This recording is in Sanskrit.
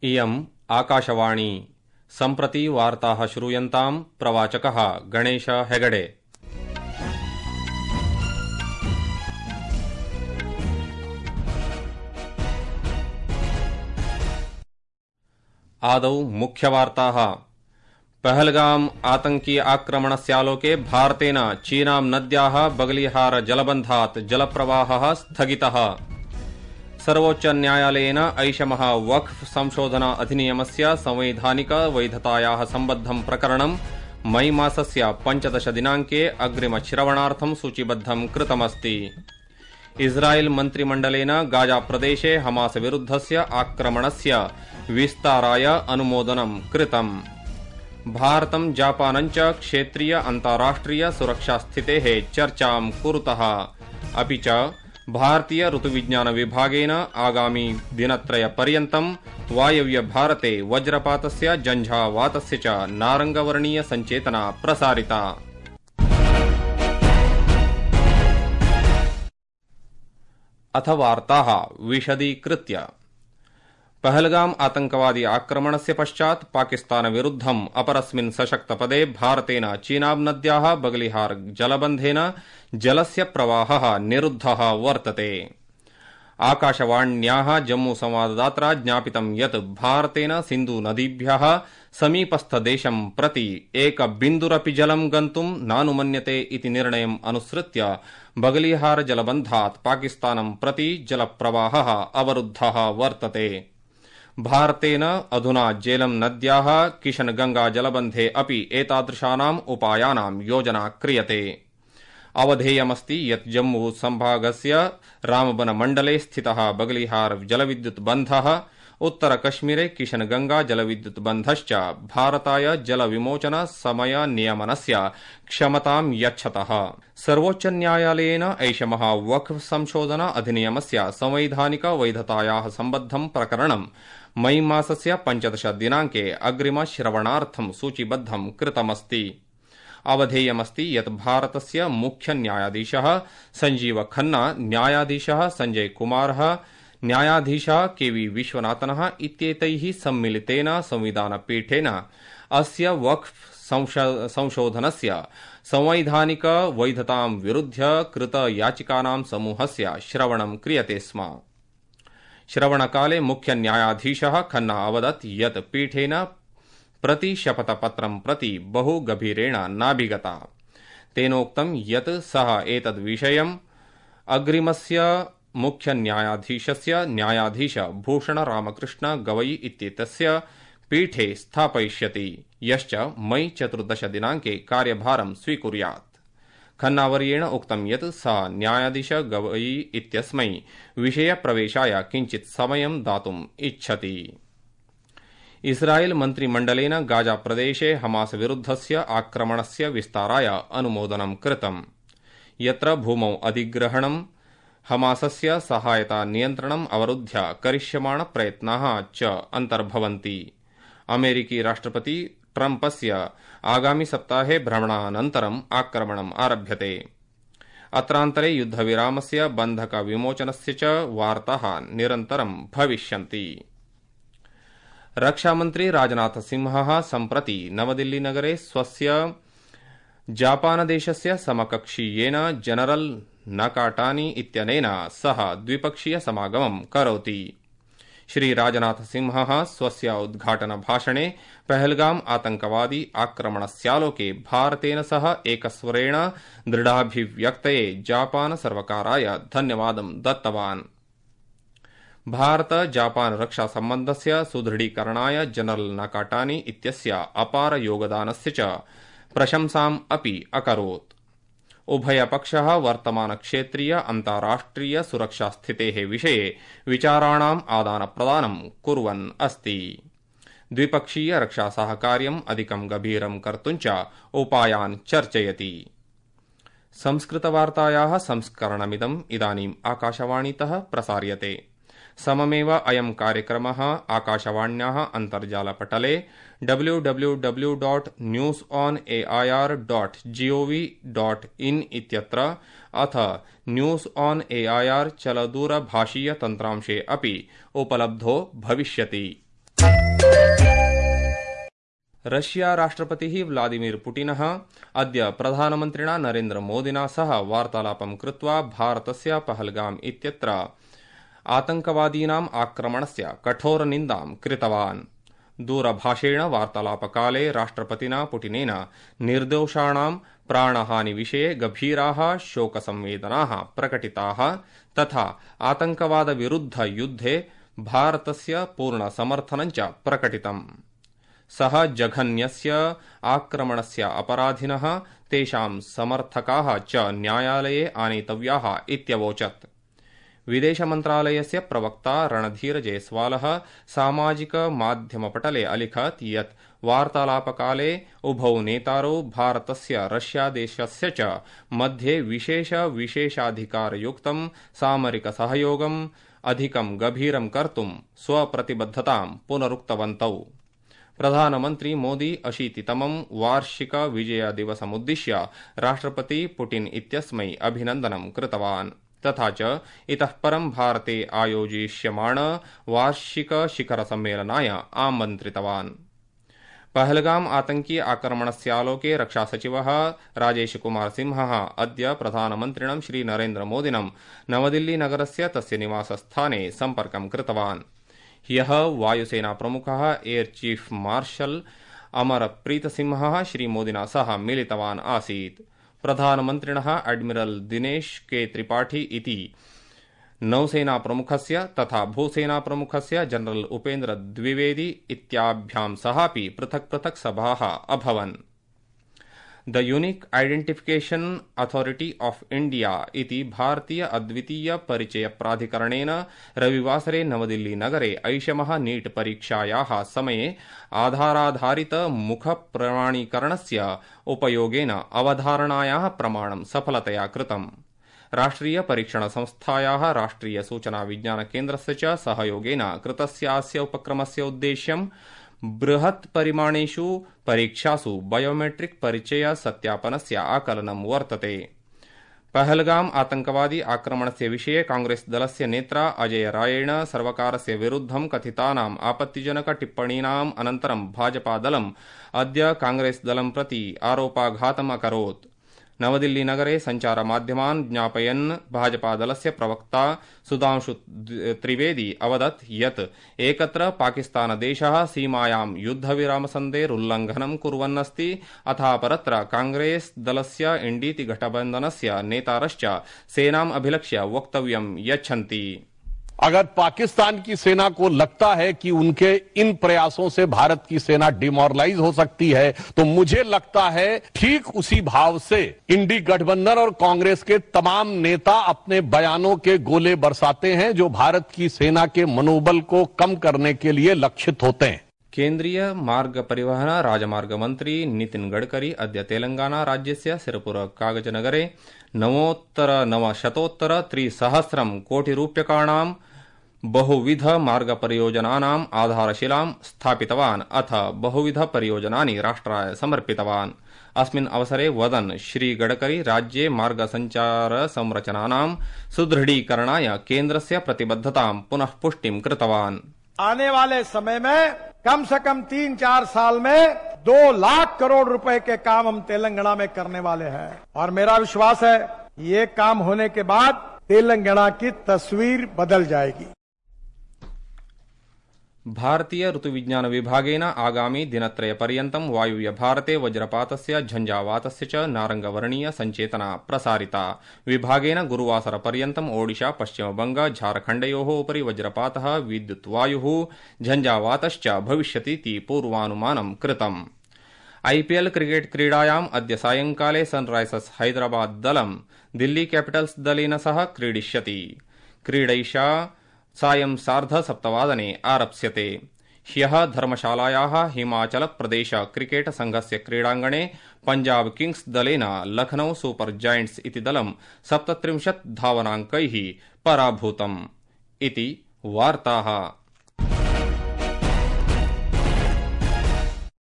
इयम् आकाशवाणी सम्प्रति वार्ताः श्रूयन्ताम् प्रवाचकः गणेश हेगडे। आदौ मुख्यवार्ताः। पहलगाम आतंकी आक्रमणस्यालोके भारतेन चीनां नद्याः बगलिहार जलबन्धात् जलप्रवाहः स्थगितः। सर्वोच्च न्यायालयेन ऐषमः वक्फ संशोधन अधिनियमस्य संवैधानिक वैधतायाः सम्बद्धं प्रकरणं मई मासस्य 15 दिनाङ्के अग्रिमश्रवणार्थं सूचीबद्धं कृतमस्ति। इस्राएल मन्त्रिमण्डलेन गाजा प्रदेशे हमास विरुद्धस्य आक्रमणस्य विस्ताराय अनुमोदनं कृतम्। भारतं जापानञ्च क्षेत्रीय अन्ताराष्ट्रिय सुरक्षास्थितेः चर्चां कुरुतः। अपि च भारतीय ऋतुविज्ञान विभागेन आगामी दिनत्रयपर्यन्तं वायव्य भारते वज्रपातस्य झञ्झावातस्य च नारङ्गवर्णीय सञ्चेतना प्रसारिता। अथ वार्ताः विशदीकृत्य। पहलगाम आतंकवादी आक्रमणस्य पश्चात् पाकिस्तान विरुद्धम् अपरस्मिन् सशक्तपदे भारतेन चीनाब नद्याः बगलिहार जलबन्धेन जलस्य प्रवाहः निरुद्धः वर्तते। आकाशवाण्याः जम्मू संवाददात्रा ज्ञापितं यत् भारतेन सिन्धु नदीभ्यः समीपस्थदेशं प्रति एकबिन्दुरपि जलं गन्तुं नानुमन्यते इति निर्णयम् अनुसृत्य बगलिहार जलबन्धात् पाकिस्तानं प्रति जलप्रवाहः अवरुद्धः वर्तते। भारतेन अधुना झेलम नद्याः किशनगंगा जलबन्धे अपि एतादृशानाम् उपायानां योजना क्रियते। अवधेयमस्ति यत् जम्मू संभागस्य रामबन मण्डले स्थितः बगलिहार जलविद्युत् बन्धः उत्तरकश्मीरे किशनगंगा जलविद्युत् बन्धश्च भारताय जलविमोचन समय नियमनस्य क्षमतां यच्छतः। सर्वोच्च न्यायालयेन ऐषमः वक्फ संशोधन अधिनियमस्य संवैधानिक वैधतायाः सम्बद्धं प्रकरणं मई मासस्य 15 दिनाङ्के अग्रिमश्रवणार्थं सूचीबद्धं कृतमस्ति। अवधेयमस्ति यत् भारतस्य मुख्य न्यायाधीशः संजीव खन्ना, न्यायाधीशः संजय कुमारः, न्यायाधीशः केवी विश्वनाथनः इत्येतैः सम्मिलितेन संविधानपीठेन अस्य वक्फ संशोधनस्य संवैधानिक वैधतां विरुध्य कृत याचिकानां समूहस्य श्रवणं क्रियते स्म। श्रवणकाले मुख्य न्यायाधीशः खन्ना अवदत् यत् पीठेन प्रतिशपथपत्रं प्रति बहु गभीरेण नाभिगता। तेनोक्तं यत् सः एतद्विषयम् अग्रिमस्य मुख्य न्यायाधीशस्य न्यायाधीश भूषण रामकृष्ण गवई इत्येतस्य पीठे स्थापयिष्यति, यश्च मई 14 दिनाङ्के कार्यभारं स्वीकुर्यात्। खन्नावर्येण उक्तं यत् सः न्यायाधीश गवई इत्यस्मै विषयप्रवेशाय किञ्चित् समयं दातुम् इच्छति। इस्राएल मन्त्रिमण्डलेन गाजा प्रदेशे हमास विरुद्धस्य आक्रमणस्य विस्ताराय अनुमोदनं कृतम्, यत्र भूमौ अधिग्रहणं, हमासस्य सहायता नियन्त्रणम् अवरुध्य करिष्यमाण प्रयत्नाः च अन्तर्भवन्ति। अमेरिकी राष्ट्रपति ट्रम्पस्य आगामि सप्ताहे भ्रमणानन्तरम् आक्रमणम् आरभ्यते। अत्रान्तरे युद्धविरामस्य बन्धक विमोचनस्य च वार्ताः निरन्तरं भविष्यन्ति। रक्षामन्त्री राजनाथ सिंहः सम्प्रति नवदिल्लीनगरे स्वस्य जापानदेशस्य समकक्षीयेन जनरल नकाटानी इत्यनेन सह द्विपक्षीय समागमं करोति। श्री राजनाथ सिंहः स्वस्य उद्घाटनभाषणे पहलगाम आतंकवादी आक्रमणस्यालोके भारतेन सह एकस्वरेण दृढाभिव्यक्तये जापान सर्वकाराय धन्यवादं दत्तवान्। भारत जापान रक्षा सम्बन्धस्य सुदृढीकरणाय जनरल नकाटानी इत्यस्य अपार योगदानस्य च प्रशंसाम् अपि अकरोत्। उभयपक्षः वर्तमान क्षेत्रीय अन्ताराष्ट्रिय सुरक्षास्थितेः विषये विचाराणाम् आदानप्रदानं कुर्वन् अस्ति। द्विपक्षीय रक्षासहकार्यम् अधिकं गभीरं कर्तुं च उपायान् चर्चयति। संस्कृतवार्तायाः संस्करणमिदम् इदानीम् आकाशवाणीतः प्रसार्यते। सममेव अयं कार्यक्रमः आकाशवाण्याः अन्तर्जालपटले www.newsonair.gov.in इत्यत्र अथ न्यूज ऑन एआईआर चलदूरभाषीय तन्त्रांशे अपि उपलब्धो भविष्यति। रशिया राष्ट्रपतिः व्लादिमीर पुटिनः अद्य प्रधानमन्त्रिणा नरेन्द्र मोदिना सह वार्तालापं कृत्वा भारतस्य पहलगाम इत्यत्र आतंकवादीनाम् आक्रमणस्य कठोरनिन्दां कृतवान्। दूरभाषेण वार्तालापकाले राष्ट्रपतिना पुटिनेन निर्दोषाणां प्राणहानिविषये गभीराः शोकसंवेदनाः प्रकटिताः तथा आतंकवादविरुद्धयुद्धे भारतस्य पूर्णसमर्थनं च प्रकटितम्। सः जघन्यस्य आक्रमणस्य अपराधिनः तेषां समर्थकाः च न्यायालये आनेतव्याः इत्यवोचत्। विदेशमन्त्रालयस्य प्रवक्ता रणधीर जयस्वालः सामाजिकमाध्यमपटले अलिखत् यत् वार्तालापकाले उभौ नेतारौ भारतस्य रष्यादेशस्य च मध्ये विशेषाधिकारयुक्तं सामरिकसहयोगम् अधिकं गभीरं कर्तुं स्वप्रतिबद्धतां पुनरुक्तवन्तौ। प्रधानमन्त्री मोदी 80तमं वार्षिक विजयदिवसमुद्दिश्य राष्ट्रपति पुटिन इत्यस्मै अभिनन्दनं कृतवान् तथा च इतः परं भारते आयोजिष्यमाण वार्षिक शिखरसम्मेलनाय आमन्त्रितवान्। पहलगाम आतंकी आक्रमणस्यालोके रक्षासचिवः राजेशकुमार सिंहः अद्य प्रधानमन्त्रिणं श्रीनरेन्द्रमोदिनं नवदिल्लीनगरस्य तस्य निवासस्थाने सम्पर्कं कृतवान्। ह्यः वायुसेनाप्रमुखः एयर चीफ मार्शल अमरप्रीतसिंहः श्रीमोदिना सह मिलितवान् आसीत्। प्रधानमन्त्रिणः एडमिरल दिनेश के त्रिपाठी इति नौसेनाप्रमुखस्य तथा भूसेनाप्रमुखस्य जनरल उपेन्द्र द्विवेदी इत्याभ्यां सहापि पृथक् पृथक् सभाः अभवन्। The unique identification authority of India इति भारतीय अद्वितीय परिचय प्राधिकरणेन रविवासरे नवदिल्ली नगरे ऐषमः नीट परीक्षायाः समये आधाराधारित मुख प्रमाणीकरणस्य उपयोगेन अवधारणायाः प्रमाणं सफलतया कृतम्। राष्ट्रिय परीक्षण संस्थायाः राष्ट्रिय सूचना विज्ञान केन्द्रस्य च सहयोगेन कृतस्यास्य उपक्रमस्य उद्देश्यं बृहत् परिमाणेषु परीक्षासु बायोमेट्रिक परिचय सत्यापनस्य आकलनं वर्तते। पहलगाम आतंकवादी आक्रमणस्य विषये कांग्रेस दलस्य नेत्रा अजय रायेण सर्वकारस्य विरुद्धं कथितानाम् आपत्तिजनक टिप्पणीनाम् अनन्तरं भाजपादलम् अद्य कांग्रेस दलं प्रति आरोपाघातम् अकरोत्। नवदिल्लीनगरे सञ्चारमाध्यमान् ज्ञापयन् भाजपादलस्य प्रवक्ता सुधांशु त्रिवेदी अवदत् यत् एकत्र पाकिस्तानदेशः सीमायां युद्धविरामसन्धेरुल्लङ्घनं कुर्वन्नस्ति अथापरत्र कांग्रेस दलस्य इण्डीति गठबन्धनस्य नेतारश्च सेनाम् अभिलक्ष्य वक्तव्यं यच्छन्ति। अगर पाकिस्तान की सेना को लगता है कि उनके इन प्रयासों से भारत की सेना डिमोरलाइज हो सकती है तो मुझे लगता है ठीक उसी भाव से इंडी गठबंधन और कांग्रेस के तमाम नेता अपने बयानों के गोले बरसाते हैं जो भारत की सेना के मनोबल को कम करने के लिए लक्षित होते हैं। केन्द्रीय मार्ग परिवहन राजमार्ग मंत्री नितिन गडकरी अद्य तेलंगाना राज्यस्य सिरपुर कागजनगरे 9,900,300 कोटिरूप्यकाणां बहुविध मार्ग परियोजनानाम् आधारशिलां स्थापितवान् अथ बहुविध परियोजनानि राष्ट्राय समर्पितवान्। अस्मिन् अवसरे वदन् श्री गडकरी राज्ये मार्ग संचार संरचनानां सुदृढीकरणाय केन्द्रस्य प्रतिबद्धतां पुनः पुष्टिं कृतवान्। आने वाले समय में कम से कम 3-4 साल में 2 लाख करोड़ रुपए के काम हम तेलंगाना में करने वाले हैं और मेरा विश्वास है ये काम होने के बाद तेलंगाना की तस्वीर बदल जाएगी। भारतीय ऋतुविज्ञान विभागेन आगामी दिनत्रयपर्यन्तं वायुव्य भारते वज्रपातस्य झञ्झावातस्य च नारंगवर्णीय संचेतना प्रसारिता। विभागेन गुरुवासरपर्यन्तम् ओडिशा पश्चिमबंग झारखण्डयोः उपरि वज्रपातः विद्युत्वायुः झञ्झावातश्च भविष्यतीति पूर्वानुमानं कृतम्। आईपीएल क्रिकेट क्रीडायाम् अद्य सायंकाले सनराइजर्स हैदराबाद दलं दिल्ली कैपिटल्स दलेन सह क्रीडिष्यति। क्रीडैषा सायं 7:30 आरप्स्यते। ह्यः धर्मशालायाः हिमाचल प्रदेश क्रिकेट संघस्य क्रीडाङ्गणे पंजाब किंग्स दलेन लखनऊ सुपर जायंट्स इति दलं 37 धावनाङ्कैः पराभूतम्। इति वार्ताः।